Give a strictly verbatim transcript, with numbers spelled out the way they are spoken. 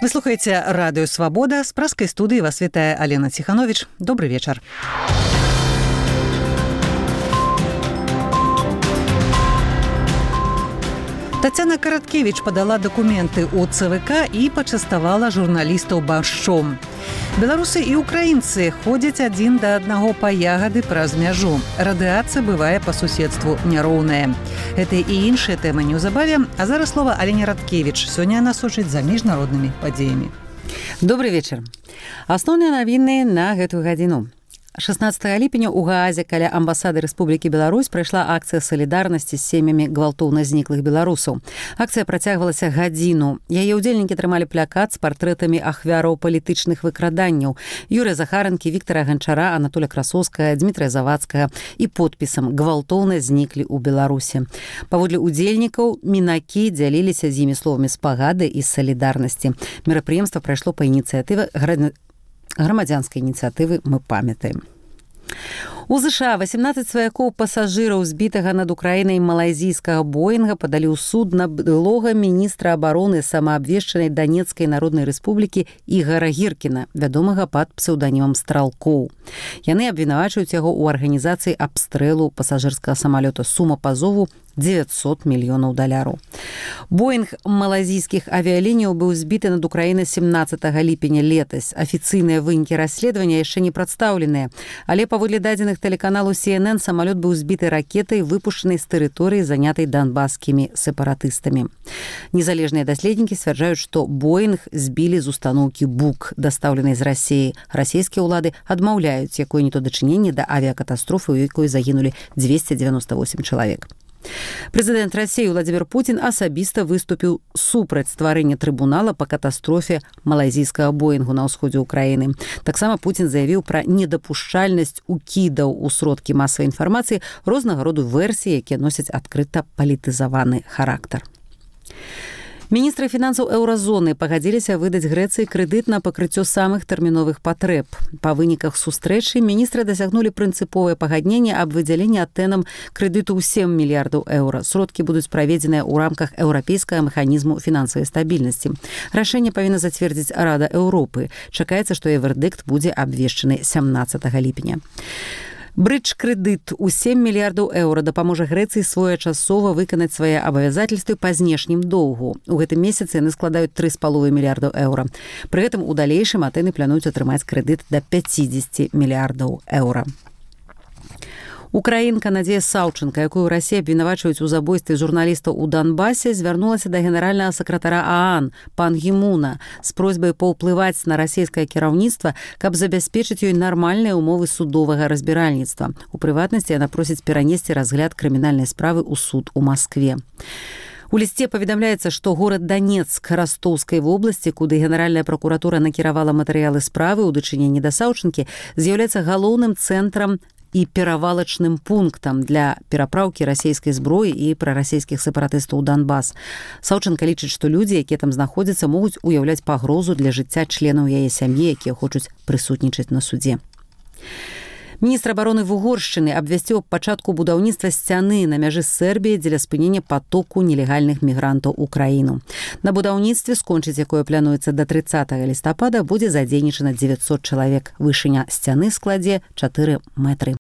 Вы слухаеце радыё «Свабода». З праскай студыі вас вітае Алена Ціхановіч. Добры вечар. Тацяна Караткевіч падала дакументы ў ЦВК і пачаставала журналістаў баршчом. Беларусы і украінцы ходзяць адзін да аднаго па ягады праз мяжу. Радыацыя бывае па суседству няроўная. Гэта і іншыя тэмы неўзабаве, а зараз слова Алене Радкевіч. Сёння яна сочыць за міжнароднымі падзеямі. Добрый вечар. Асноўныя навіны на гэтую гадзіну. шаснаццатага ліпеня ў Гаазе каля амбасады Рэспублікі Беларусь прайшла акцыя салідарнасці з сем'ямі гвалтоўна зніклых беларусаў. Акцыя працягвалася гадзіну. Яе ўдзельнікі трымалі плакат з партрэтамі ахвяраў палітычных выкраданняў: Юрыя Захаранкі, Віктара Ганчара, Анатоля Красоўскага, Дмітрая Завадскага і подпісам «Гвалтоўна зніклі ў Беларусі». Паводле ўдзельнікаў, мінакі дзяліліся з імі словамі спагады і салідарнасці. Мерапрыемства прайшло па ініцыятыве грамадзянскай ініцыятывы «Мы памятаем». У ЗША васемнаццаць сваякоў пасажыраў збітага над Украінай малайзійскага Боінга падалі ў суд на былога міністра абароны самаабвешчанай Данецкай Народнай Рэспублікі Ігара Гіркіна, вядомага пад псеўданімам Стралкоў. Яны абвінавачваюць яго ў арганізацыі абстрэлу пасажырскага самалёта. Сума пазову дзевяцьсот мільёнаў даляраў. Боінг малайзійскіх авіялініяў быў збіты над Украінай семнаццатага ліпеня летась. Афіцыйныя вынікі расследавання яшчэ не прадстаўленыя, але паводле дадзеных тэлеканалу Си Эн Эн самалёт быў збіты ракетай, выпушчанай з тэрыторыі, занятай донбасскімі сепаратыстамі. Незалежныя даследнікі сцвярджаюць, што Боінг збілі з устаноўкі Бук, дастаўленай з Расіі. Расійскія ўлады адмаўляюць якое-нібы дачыненне да авіякатастрофы, у якой загінулі дзвесце дзевяноста восем чалавек. Прэзідэнт Расіі Владзімір Пуцін асабіста выступіў супраць стварэння трыбунала па катастрофе малайзійскага Боінгу на ўсходзе ўкраіны. Таксама Пуцін заявіў пра недапушчальнасць укідаў у сродкі масавай інфармацыі рознага роду версій, якія носяць адкрыта палітызаваны характар. Міністры фінансаў еўразоны пагадзіліся выдаць Грэцыі крэдыт на пакрыццё самых тэрміновых патрэб. Па выніках сустрэчы міністры дасягнулі прынцыповае пагадненне аб выдзяленні Атэнам крэдыту ў сем мільярдаў еўра. Сродкі будуць праведзеныя ў рамках еўрапейскага механізму фінансавай стабільнасці. Рашэнне павінна зацвердзіць Рада Еўропы. Чакаецца, што яе вердыкт будзе абвешчаны сямнаццатага ліпеня. Брыдж-крэдыт у сем мільярдаў еўра дапаможа Грэцыі своечасова выканаць свае абавязательствы па знешнім доўгу. У гэтым месяцы яны складаюць тры з паловай мільярдаў еўра. Пры гэтым у далейшым Атэны плануюць атрымаць крэдыт да пяцідзесяці мільярдаў еўра. Украінка Надзея Саўчанка, якую Расія абвінавачваюць у забойстве журналістаў у Донбасе, звярнулася да генеральнага сакратара ААН Пан Гі Муна з просьбай паўплываць на расійскае кіраўніцтва, каб забяспечыць ёй нармальныя ўмовы судовага разбіральніцтва. У прыватнасці яна просіць перанесці разгляд крымінальнай справы ў суд у Маскве. У лісце паведамляецца, што горад Данецк Растоўскай вобласці, куды генеральная пракуратура накіравала матэрыялы справы ў дачыненні да Саўчанкі, з'яўляецца галоўным цэнтрам і перавалачным пунктам для перапраўкі расійскай зброі і прарасійскіх сепаратыстаў у Донбас. Саўчанка лічыць, што людзі, якія там знаходзяцца, могуць уяўляць пагрозу для жыцця членаў яе сям'і, якія хочуць прысутнічаць на судзе. Міністр абароны Вугоршчыны абвясціў аб пачатку будаўніцтва сцяны на мяжы з Сербіяй дзеля спынення патоку нелегальных мігрантаў у краіну. На будаўніцтве, скончыць якое плануецца да трыццатага лістапада, будзе задзейнічана дзевяцьсот чалавек. Вышыня сцяны складзе чатыры метры.